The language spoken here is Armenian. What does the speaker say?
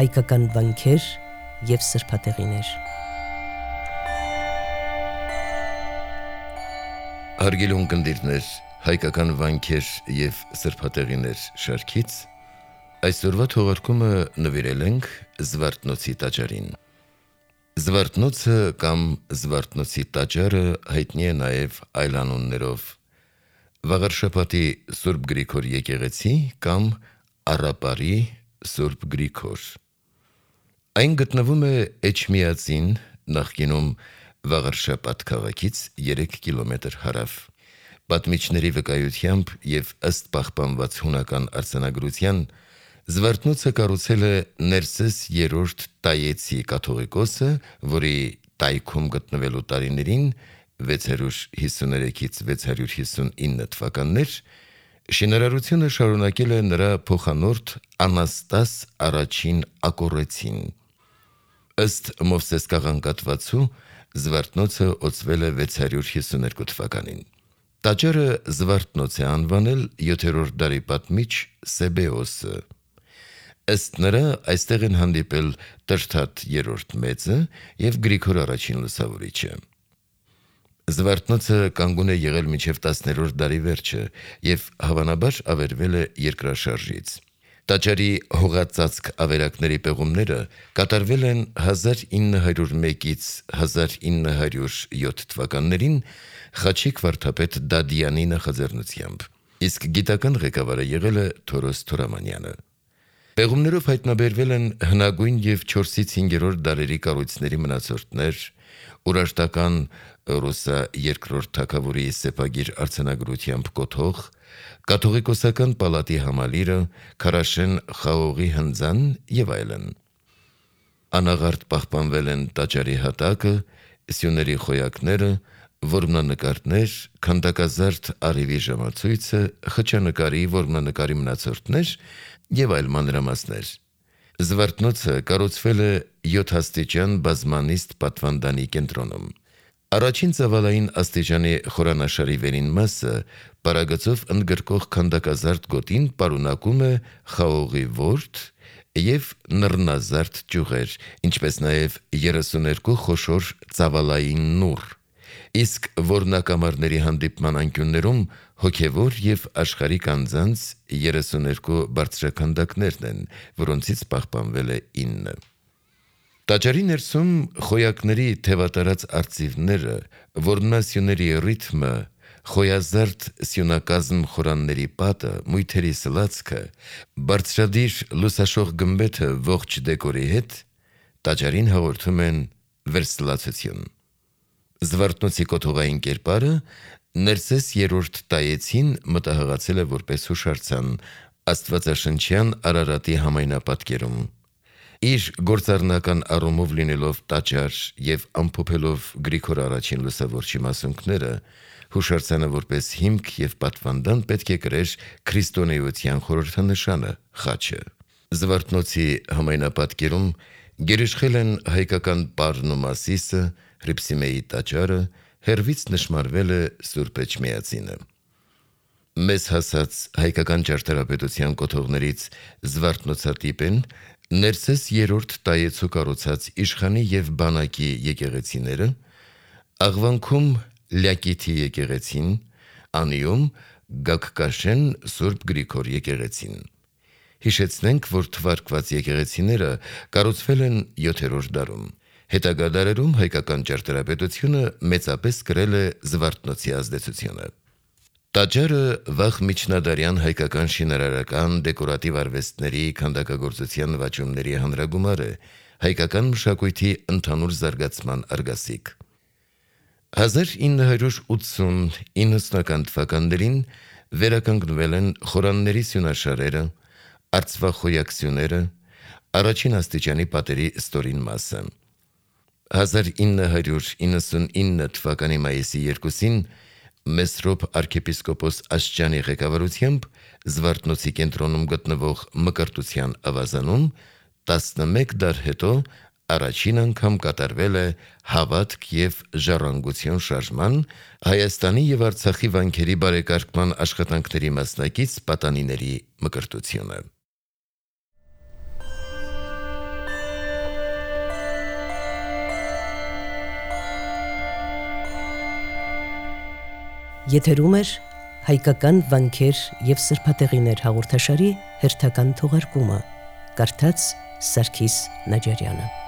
հայկական վանքեր և սրբատեղիներ։ Հարգելի ունկնդիրներ, հայկական վանքեր և սրբատեղիներ շարքից այսօրվա թողարկումը նվիրել ենք Զվարթնոցի տաճարին։ Զվարթնոցը կամ Զվարթնոցի տաճարը հայտնի է նաև այլ անուններով՝ Վաղարշաբաթի Սուրբ Գրիգոր եկեղեցի կամ Առապարի Սուրբ Գրիգոր։ Այն գտնվում է Էջմիածին, նախկինում Վաղարշաբաթ քաղաքից 3 կիլոմետր հարավ։ Պատմիչների վկայությամբ և ըստ պահպանված հունական արձանագրության, Զվարթնոցը կառուցել է Ներսես III Տայեցի կաթողիկոսը, որի տայքում գտնվելու տարիներին 653-659 թվականներ շինարարությունը շարունակել է նրա փոխանորդ Անաստաս I Ակոռեցին։ Ըստ Մովսես կաղանկատվածու, Զվարթնոցը օծվել է 652 թվականին։ Տաճարը Զվարթնոց է անվանել 7-րդ դարի պատմիչ Սեբեոսը։ Ըստ նրա, այստեղ են հանդիպել Տրթատ III Մեծը և Գրիգոր I Լուսավորիչը։ Զվարթնոցը կանգուն է եղել մինչև 10-րդ դարի վերջը և հավանաբար ավերվել է երկրաշարժից։ Տաճարի հողածածկ ավերակների պեղումները կատարվել են 1901-ից 1907 թվականներին Խաչիկ վարդապետ Դադյանի նախաձեռնությամբ, իսկ գիտական ղեկավարը եղել է Թորոս Թորամանյանը։ Պեղումներով հայտնաբերվել են հնագույն և 4-ից 5-րդ դարերի կառույցների մնացորդներ, Ուրարտական Ռուսա II թագավորի սեպագիր արձանագրությամբ կոթող, կաթողիկոսական պալատի համալիրը, Քարաշեն խաղողի հնձան և այլն։ Անաղարտ պահպանվել են տաճարի հատակը, սյուների խոյակները, որմնանկարներ, քանդակազարդ առիվի ժամացույցը, խճանկարի, որմնանկարի մնացորդներ և այլ մանրամասներ։ Զվարթնոցը կառուցվել է 7 աստիճան բազմանիստ պատվանդանի կենտրոնում։ Առաջին ծավալային աստիճանի խորանաշարի վերին մասը պարագծով ընդգրկող քանդակազարդ գոտին պարունակում է խաղողի ворթ և նռնազարդ ճյուղեր, ինչպես նաև 32 խոշոր ծավալային նուռ, իսկ որմնակամարների հանդիպման անկյուններում հոգևոր և աշխարհիկ անձանց 32 բարձրաքանդակներն են, որոնցից պահպանվել է 9։ Տաճարի ներսում խոյակների թևատարած արծիվները, որմնասյուների ռիթմը, խոյազարդ սյունակազմ խորանների պատը, մույթերի սլացքը, բարձրադիր լուսաշող գմբեթը ողջ դեկորի հետ տաճարին հաղորդում են վերսլացություն։ Զվարթնոցի կոթողային կերպարը Ներսես III Տայեցին մտահղացել է որպես հուշարձան աստվածաշնչյան Արարատի համայնապատկերում։ Իր գործառնական առումով լինելով տաճար և ամփոփելով Գրիգոր I Լուսավորչի մասունքները, հուշարձանը որպես հիմք և պատվանդան պետք է կրեր քրիստոնեության խորհրդանշանը՝ խաչը։ Զվարթնոցի համայնապատկերում գերիշխել են հայկական պարն ու Մասիսը, Հռիփսիմեի տաճարը, հեռվից նշմարվել է Սուրբ Էջմիածինը։ Մեզ հասած հայկական ճարտարապետության կոթողներից զվարթնոցատիպ են Ներսես III Տայեցու կառուցած իշխանի և բանակի եկեղեցիները, Աղվանքում Լյակիթի եկեղեցին, Անիում Գագկաշեն Սուրբ Գրիգոր եկեղեցին։ Հիշեցնենք, որ թվարկված եկեղեցիները կառուցվել են 7-րդ դարում։ Հետագա դարերում հայկական ճարտարապետությունը մեծապես կրել է Զվարթնոցի ազդեցությունը։ Տաճարը վաղ միջնադարյան հայկական շինարարական դեկորատիվ արվեստների քանդակագործության նվաճումների հանրագումար է, հայկական մշակույթի ընդհանուր զարգացման արգասիկ։ 1980-90 թվականներին վերականգնվել են խորանների սյունաշարերը, արծվախոյակ սյուները, առաջին աստիճանի պատերի ստորին մասը։ 1999 թվականի մայիսի 2-ին Մեսրոպ arczepiskopos Աշճանի ղեկավարությամբ Զվարթնոցի կենտրոնում գտնվող Մկրտության ավազանում 11 դար հետո առաջին անգամ կատարվել է հավատք և ժառանգություն շարժման, Հայաստանի և Արցախի վանքերի բարեկարգման աշխատանքների մասնակից պատանիների մկրտությունը։ Եթերում էր հայկական վանքեր եւ սրբատեղիներ հաղորդաշարի հերթական թողարկումը։ Կարդաց Սարգիս Նաջարյանը։